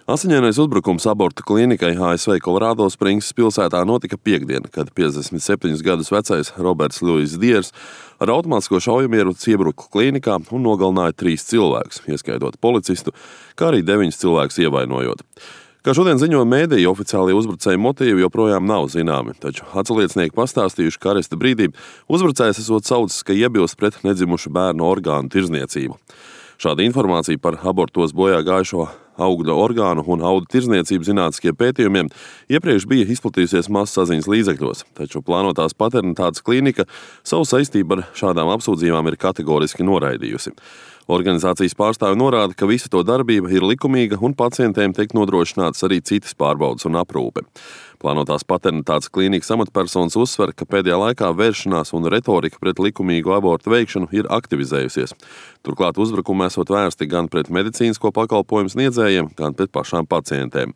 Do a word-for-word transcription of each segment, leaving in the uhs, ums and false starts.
Asiņainais uzbrukums abortu klīnikai A S V Kolorādo Springsas pilsētā notika piektdien, kad piecdesmit septiņus gadus vecais Roberts Luis Diers ar automātisko šaujamieroci iebruka klīnikā un nogalināja trīs cilvēkus, ieskaitot policistu, kā arī deviņus cilvēkus ievainojot. Kā šodien ziņo mēdīji, oficiālie uzbrucēju motīvi joprojām nav zināmi, taču atsliecinieki pastāstījuši, ka aresta brīdī uzbrucējs esot saucis, ka iebilst pret nedzimušu bērnu orgānu tirdzniecību. Šāda informācija par abortos bojā gājušo augļa orgānu un audu tirdzniecību zinātniskiem pētījumiem iepriekš bija izplatījusies masasaziņas līdzekļos, taču plānotās paternitātes klīnika savu saistību ar šādām apsūdzībām ir kategoriski noraidījusi. Organizācijas pārstāvi norāda, ka visa to darbība ir likumīga un pacientiem tiek nodrošinātas arī citas pārbaudes un aprūpe. Plānotās paternitātes klīnikas amatpersonas uzsver, ka pēdējā laikā vēršanās un retorika pret likumīgu abortu veikšanu ir aktivizējusies. Turklāt uzbrukumi esot vērsti gan pret medicīnisko pakalpojumu sniedzējiem, gan pret pašām pacientēm.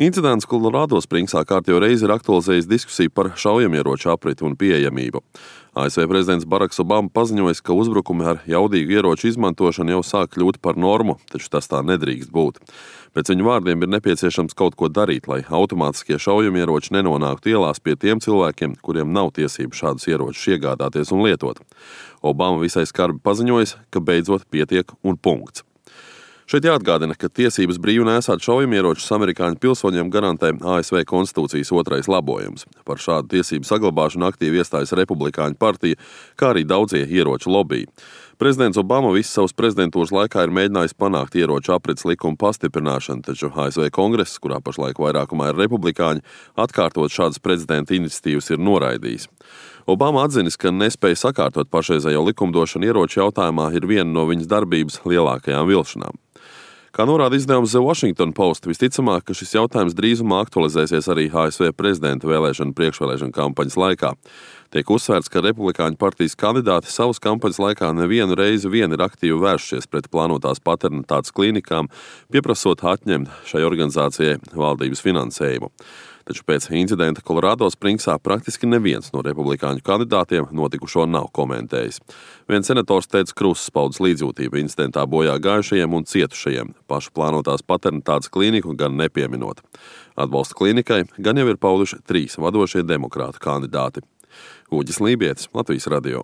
Incidents Kolorādo Springsā kārtējo reizi ir aktualizējis diskusiju par šaujamieroču apriti un pieejamību. A S V prezidents Baraks Obama paziņojis, ka uzbrukumi ar jaudīgu ieroču izmantošanu jau sāk kļūt par normu, taču tas tā nedrīkst būt. Pēc viņu vārdiem ir nepieciešams kaut ko darīt, lai automātiskie šaujamieroči nenonāktu ielās pie tiem cilvēkiem, kuriem nav tiesību šādus ieročus iegādāties un lietot. Obama visai skarbi paziņojis, ka beidzot pietiek un punkts. Šeit jāatgādina, ka tiesības brīvi nēsāt šaujamieročus amerikāņu pilsoņiem garantē A S V konstitūcijas otrais labojums. Par šādu tiesību saglabāšanu aktīvi iestājas Republikāņu partija, kā arī daudzie ieroču lobiji. Prezidents Obama visu savas prezidentūras laikā ir mēģinājis panākt ieroču aprits likuma pastiprināšanu, taču A S V kongress, kurā pašlaik vairākumā ir republikāņi, atkārtot šādas prezidenta iniciatīvas ir noraidījis. Obama atzinis, ka nespēja sakārtot pašreizējo likumdošanu ieroču jautājumā ir viena no viņas darbības lielākajām vilšanām. Kā norāda izdevums The Washington Post, visticamāk, ka šis jautājums drīzumā aktualizēsies arī A S V prezidenta vēlēšanu priekšvēlēšanu kampaņas laikā. Tiek uzsvērts, ka republikāņu partijas kandidāti savas kampaņas laikā nevienu reizi vien ir aktīvi vēršies pret plānotās paternitātes klīnikām, pieprasot atņemt šai organizācijai valdības finansējumu. Taču pēc incidenta Kolorādo Springsā praktiski neviens no republikāņu kandidātiem notikušo nav komentējis. Viens senators teica krusas paudas līdzjūtību incidentā bojā gājušajiem un cietušajiem, pašu plānotās paternitātes klīniku gan nepieminot. Atbalsta klīnikai gan jau ir pauduši trīs vadošie demokrātu kandidāti. Uģis Lībietis, Latvijas radio.